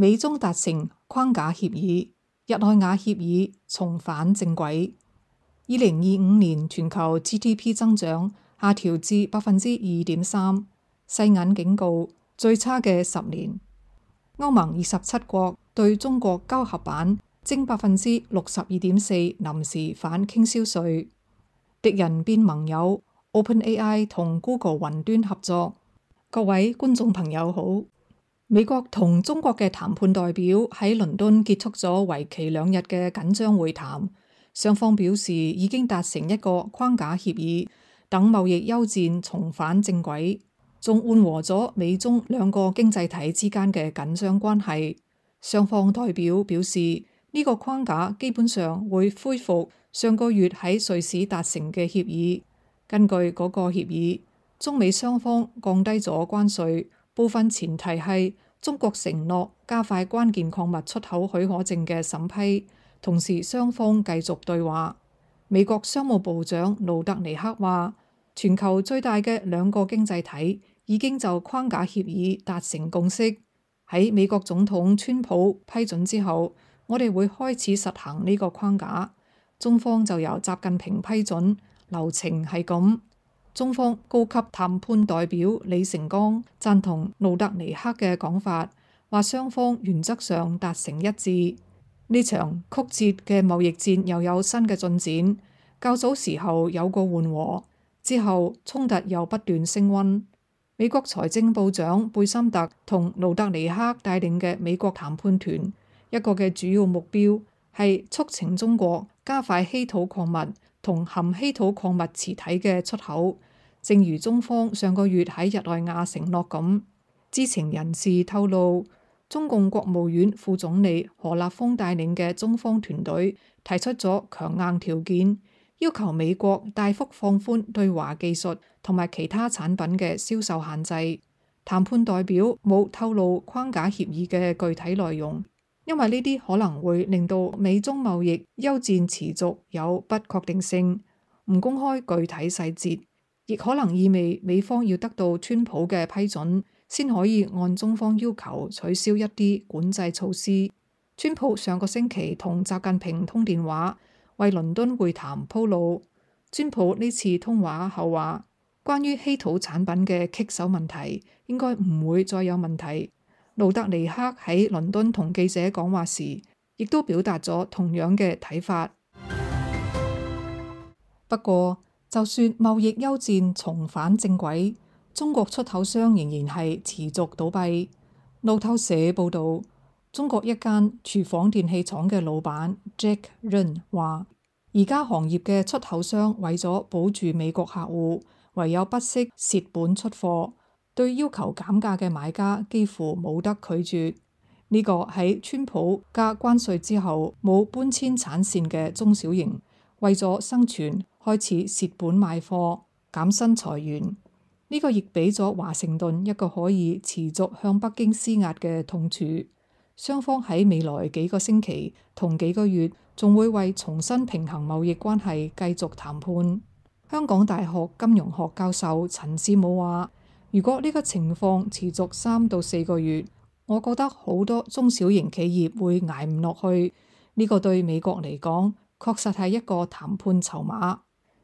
美中達成框架協議，日內瓦協議重返正軌。2025年全球 GDP 增長下調至 2.3%， 世銀警告最差嘅10年。歐盟27國對中國交合版徵 62.4% 臨時反傾銷稅。敵人變盟友 ，OpenAI 同 Google 雲端合作。各位觀眾朋友好。美國同中國嘅談判代表喺倫敦結束咗為期2日嘅緊張會談，雙方表示已經達成一個框架協議，等貿易休戰重返正軌，仲緩和咗美中兩個經濟體之間嘅緊張關係。雙方代表表示，呢個框架基本上會恢復上個月喺瑞士達成嘅協議。根據嗰個協議，中美雙方降低咗關稅。部分前提係中國承諾加快關鍵礦物出口許可證嘅審批，同時雙方繼續對話。美國商務部長盧特尼克話，全球最大嘅兩個經濟體已經就框架協議達成共識。喺美國總統川普批准之後，我哋會開始實行呢個框架。中方就由習近平批准，流程係咁。中方高級談判代表李成鋼贊同盧特尼克嘅講法，話雙方原則上達成一致。呢場曲折嘅貿易戰又有新嘅進展，較早時候有個緩和，之後衝突又不斷升溫。美國財政部長貝森特同盧特尼克帶領嘅美國談判團，一個嘅主要目標係促請中國加快稀土礦物同含稀土礦物磁體嘅出口，正如中方上個月喺日內瓦承諾咁。知情人士透露，中共國務院副總理何立峰帶領嘅中方團隊提出咗強硬條件，要求美國大幅放寬對華技術同埋其他產品嘅銷售限制。談判代表冇透露框架協議嘅具體內容，因為呢啲可能會令到美中貿易休戰持續有不確定性，唔公開具體細節，亦可能意味美方要得到川普嘅批准，先可以按中方要求取消一啲管制措施。川普上個星期同習近平通電話，為倫敦會談鋪路。川普呢次通話後話，關於稀土產品嘅棘手問題應該唔會再有問題。盧特尼克喺倫敦同記者講話時，亦都表達咗同樣嘅睇法。不過，就算貿易休戰重返正軌，中國出口商仍然係持續倒閉。路透社報導，中國一間廚房電器廠嘅老闆 Jack Run 話，而家行業嘅出口商為咗保住美國客戶，唯有不惜蝕本出貨。對要求減價嘅買家幾乎冇得拒絕。呢個喺川普加關稅之後冇搬遷產線嘅中小型，為咗生存開始蝕本賣貨、減薪裁員。呢個亦俾咗華盛頓一個可以持續向北京施壓嘅痛處。雙方喺未來幾個星期同幾個月仲會為重新平衡貿易關係繼續談判。香港大學金融學教授陳志武話，如果呢個情況持續3到4個月，我覺得好多中小型企業會捱唔落去。呢個對美國嚟講，確實係一個談判籌碼。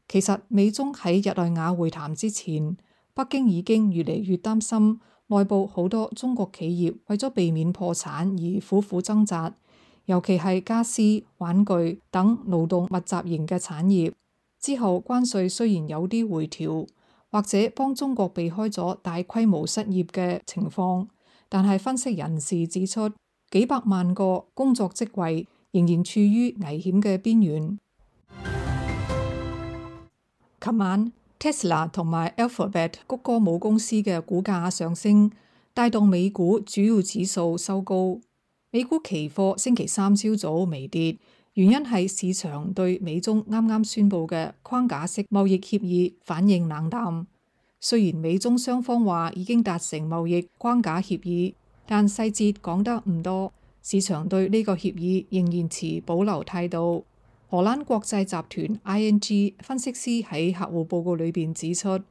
其實美中喺日內瓦會談之前，北京已經越嚟越擔心內部好多中國企業為咗避免破產而苦苦掙扎，尤其係家私、玩具等勞動密集型嘅產業。之後關稅雖然有啲回調，或者幫中國避開咗大規模失業嘅情況，但係分析人士指出，幾百萬個工作職位仍然處於危險嘅邊緣。琴晚 Tesla 同埋 Alphabet 谷歌母公司嘅股價上升，帶動美股主要指數收高。美股期貨星期三朝早微跌，原因係市場對美中啱啱宣布嘅框架式貿易協議反應冷淡。雖然美中雙方話已經達成貿易框架協議，但細節講得唔多，市場對呢個協議仍然持保留態度。荷蘭國際集團 ING 分析師喺客戶報告裏邊指出，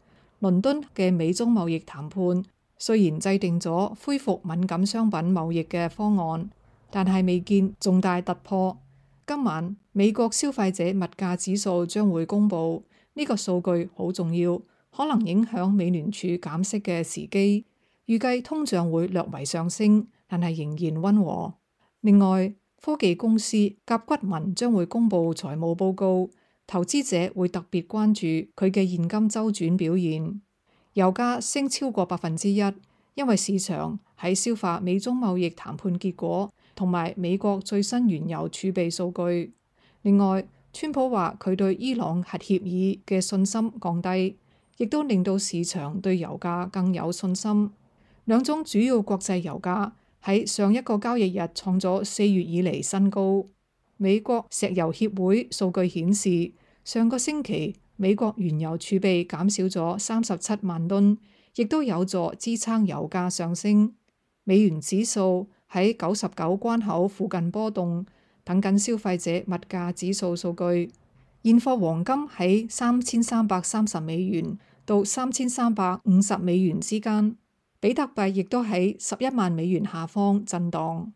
倫敦嘅美中貿易談判雖然制定咗恢復敏感商品貿易嘅方案，但係未見重大突破。今晚美國消費者物價指數將會公佈，呢個數據好重要，可能影響美聯儲減息嘅時機。預計通脹會略為上升，但係仍然溫和。另外，科技公司甲骨文將會公佈財務報告，投資者會特別關注佢嘅現金周轉表現。油價升超過1%，因為市場喺消化美中貿易談判結果同埋美國最新原油儲備數據。另外，川普話佢對伊朗核協議嘅信心降低，亦都令到市場對油價更有信心。兩種主要國際油價喺上一個交易日創咗4月以嚟新高。美國石油協會數據顯示，上個星期美國原油儲備減少咗37萬噸，亦都有助支撐油價上升。美元指數喺99關口附近波動，等緊消費者物價指數數據。現貨黃金喺3330美元到3350美元之間。比特幣亦都喺11萬美元下方震盪。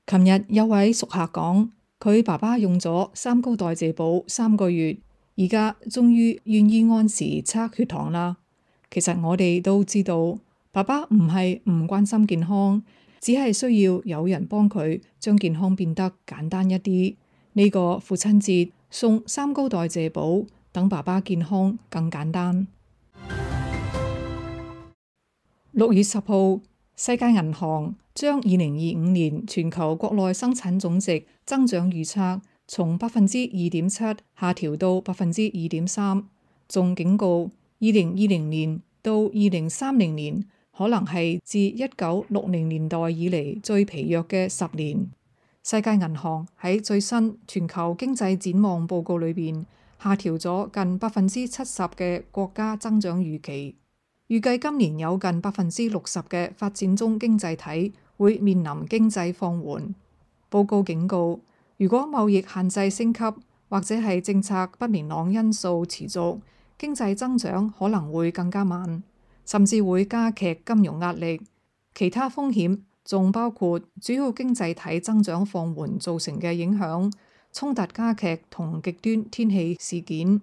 琴日有位熟客講，佢爸爸用咗三高代謝寶3個月，而家終於願意按時測血糖啦。其實我哋都知道，爸爸唔係唔關心健康，只係需要有人幫佢將健康變得簡單一啲。呢個父親節送三高代謝寶，等爸爸健康更簡單。6月10號，世界銀行將2025年全球國內生產總值增長預測從2.7%下調到2.3%，仲警告2020年到2030年可能係自1960年代以嚟最疲弱嘅10年。世界銀行喺最新全球經濟展望報告裏邊下調咗近70%嘅國家增長預期。預計今年有近60%嘅發展中經濟體會面臨經濟放緩。報告警告，如果貿易限制升級或者係政策不明朗因素持續，經濟增長可能會更加慢，甚至會加劇金融壓力。其他風險仲包括主要經濟體增長放緩造成嘅影響、衝突加劇同極端天氣事件。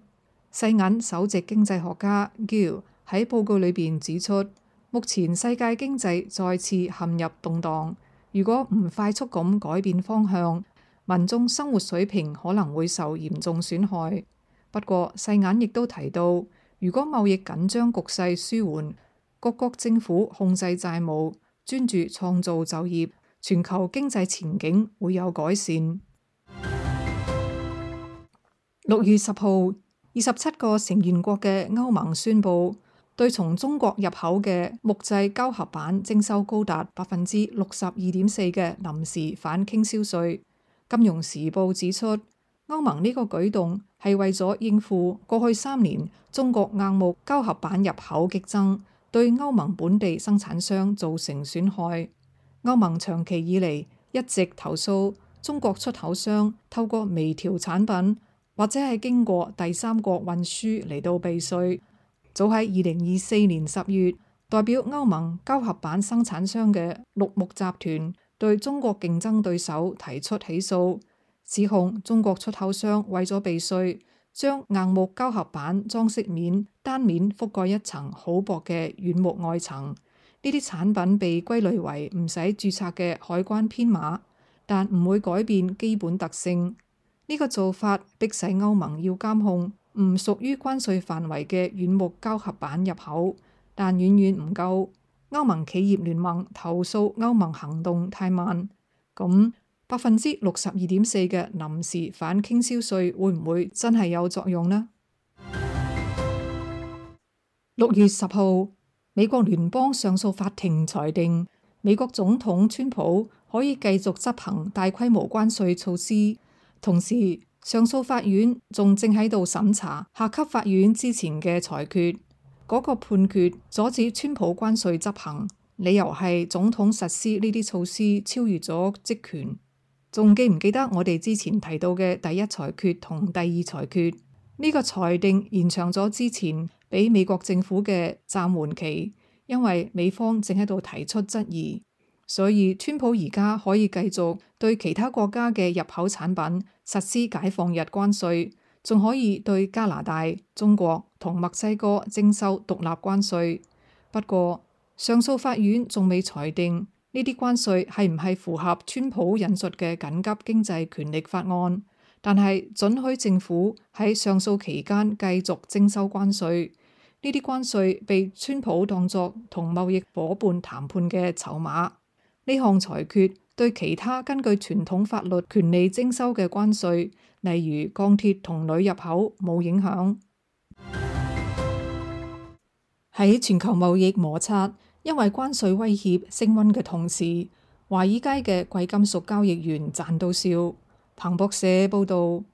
世銀首席經濟學家 Gill喺報告裏邊指出，目前世界經濟再次陷入動盪，如果唔快速咁改變方向，民眾生活水平可能會受嚴重損害。不過世銀亦都提到，如果貿易緊張局勢舒緩，各國政府控制債務，專注創造就業，全球經濟前景會有改善。6月10號，27個成員國嘅歐盟宣布，對從中國入口嘅木製膠合板徵收高達62.4%嘅臨時反傾銷稅。金融時報指出，歐盟呢個舉動係為咗應付過去3年中國硬木膠合板入口激增，對歐盟本地生產商造成損害。歐盟長期以嚟一直投訴中國出口商透過微調產品或者係經過第三國運輸嚟到避稅。早喺2024年10月，代表歐盟膠合板生產商嘅綠木集團對中國競爭對手提出起訴，指控中國出口商為咗避稅，將硬木膠合板裝飾面單面覆蓋一層好薄嘅軟木外層。呢啲產品被歸類為唔使註冊嘅海關編碼，但唔會改變基本特性。呢個做法迫使歐盟要監控唔屬於關稅範圍嘅軟木膠合板入口，但遠遠唔夠。歐盟企業聯盟投訴歐盟行動太慢。咁62.4%嘅臨時反傾銷稅會唔會真係有作用呢？6月10號，美國聯邦上訴法庭裁定，美國總統川普可以繼續執行大規模關稅措施，同時上訴法院仲正喺度審查下級法院之前嘅裁決。嗰個判決阻止川普關稅執行，理由係總統實施呢啲措施超越咗職權。仲記唔記得我哋之前提到嘅第一裁決同第二裁決？呢個裁定延長咗之前俾美國政府嘅暫緩期，因為美方正喺度提出質疑，所以川普而家可以繼續對其他國家嘅入口產品實施解放日關稅，仲可以對加拿大、中國同墨西哥徵收獨立關稅。不過上訴法院仲未裁定呢啲關稅係唔係符合川普引述嘅緊急經濟權力法案，但係准許政府喺上訴期間繼續徵收關稅。呢啲關稅被川普當作同貿易夥伴談判嘅籌碼。呢項裁決對其他根據傳統法律權利徵收嘅關稅，例如鋼鐵同鋁入口冇影響。喺全球貿易摩擦因為關稅威脅升溫嘅同時，華爾街嘅貴金屬交易員賺到笑。彭博社報導，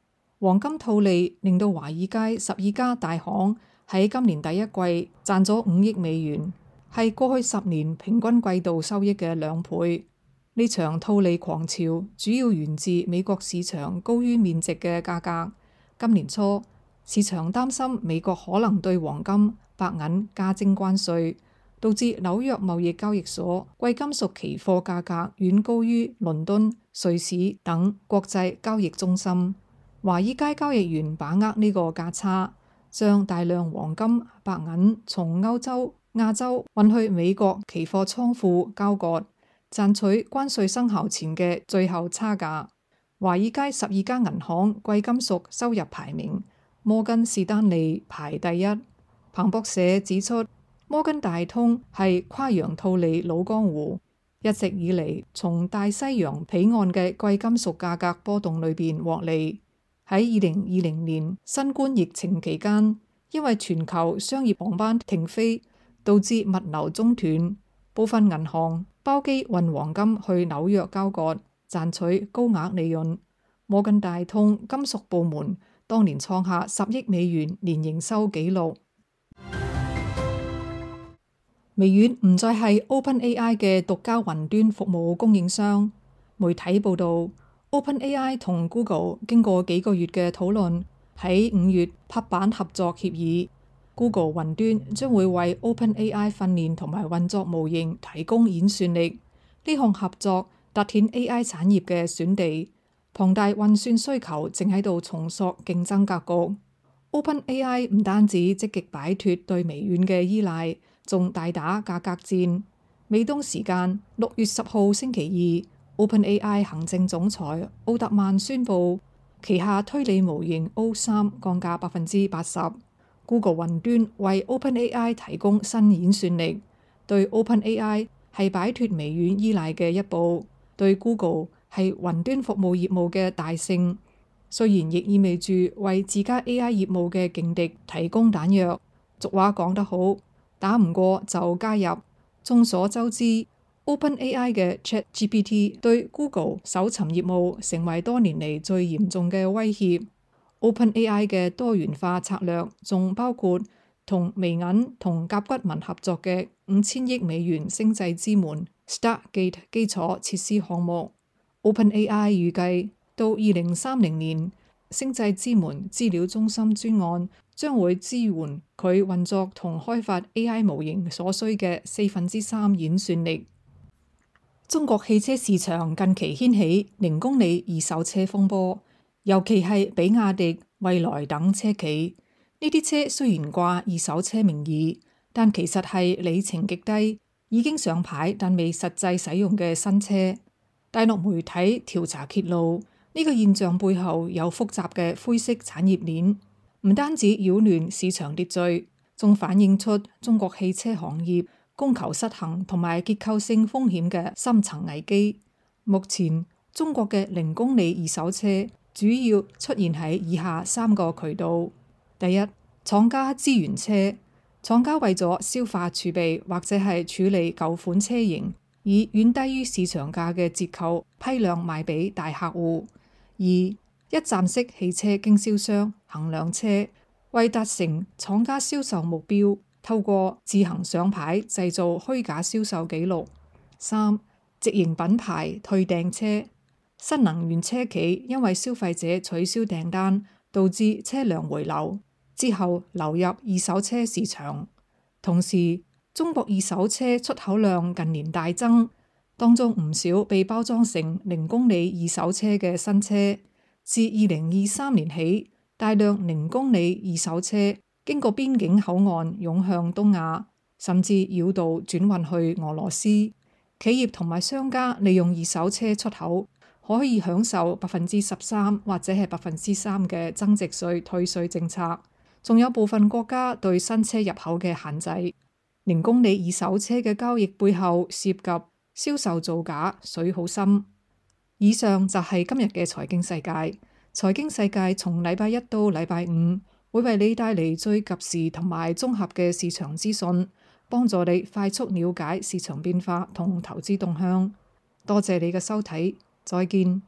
黃金套利令到華爾街12家大行喺今年第一季賺咗5億美元，係過去10年平均季度收益嘅2倍。呢場套利狂潮主要源自美國市場高於面值嘅價格。今年初，市場擔心美國可能對黃金、白銀加徵關稅，導致紐約貿易交易所貴金屬期貨價格遠高於倫敦、瑞士等國際交易中心。華爾街交易員把握呢個價差，將大量黃金、白銀從歐洲、亞洲運去美國期貨倉庫交割，賺取關稅生效前嘅最後差價。華爾街12家銀行貴金屬收入排名，摩根士丹利排第一。彭博社指出，摩根大通係跨洋套利老江湖，一直以嚟從大西洋彼岸嘅貴金屬價格波動裏邊獲利。喺2020年新冠疫情期間，因為全球商業航班停飛，導致物流中斷，部分銀行包機運黃金去紐約交割，賺取高額利潤。摩根大通金屬部門當年創下10億美元年營收紀錄。微軟唔再係 OpenAI 嘅獨家雲端服務供應商。媒體報導，OpenAI 同 Google 經過幾個月嘅討論，喺5月拍板合作協議。Google 雲端將會為 OpenAI 訓練同埋運作模型提供演算力。呢項合作凸顯 AI 產業嘅選地，龐大運算需求正喺度重塑競爭格局。OpenAI 唔單止積極擺脫對微軟嘅依賴，仲大打價格戰。美東時間6月10號星期二，OpenAI 行政總裁奧特曼宣布旗下推理模型 O3 降價80%。Google 雲端為 OpenAI 提供新演算力，對 OpenAI 係擺脫微軟依賴嘅一步，對 Google 係雲端服務業務嘅大勝。雖然亦意味住為自家 AI 業務嘅勁敵提供彈藥。俗話講得好，打唔過就加入。眾所周知，OpenAI 嘅 ChatGPT 對 Google 搜尋業務成為多年嚟最嚴重嘅威脅。OpenAI 嘅多元化策略仲包括同微銀同甲骨文合作嘅5000億美元星際之門 Stargate 基礎設施項目。OpenAI 預計到2030年，星際之門資料中心專案將會支援佢運作同開發 AI 模型所需嘅3/4演算力。中國汽車市場近期掀起0公里二手車風波，尤其係比亞迪、蔚來等車企。呢啲車雖然掛二手車名義，但其實係里程極低、已經上牌但未實際使用嘅新車。大陸媒體調查揭露，呢個現象背後有複雜嘅灰色產業鏈，唔單止擾亂市場秩序，仲反映出中國汽車行業供求失衡同埋結構性風險嘅深層危機。目前中國嘅0公里二手車主要出現喺以下3個渠道：第一，廠家資源車，廠家為咗消化儲備或者係處理舊款車型，以遠低於市場價嘅折扣批量賣俾大客戶。二，一站式汽車經銷商衡量車，為達成廠家銷售目標，透過自行上牌製造虛假銷售記錄。三，直營品牌退訂車，新能源車企因為消費者取消訂單，導致車輛回流，之後流入二手車市場。同時，中國二手車出口量近年大增，當中唔少被包裝成零公里二手車嘅新車。自2023年起，大量零公里二手車經過邊境口岸湧向東亞，甚至繞道轉運去俄羅斯。企業同埋商家利用二手車出口，可以享受13%或者係3%嘅增值稅退稅政策。仲有部分國家對新車入口嘅限制。零公里二手車嘅交易背後涉及銷售造假，水好深。以上就係今日嘅財經世界。財經世界從禮拜一到禮拜五會為你帶嚟最及時同埋綜合嘅市場資訊，幫助你快速了解市場變化同投資動向。多謝你嘅收睇，再見。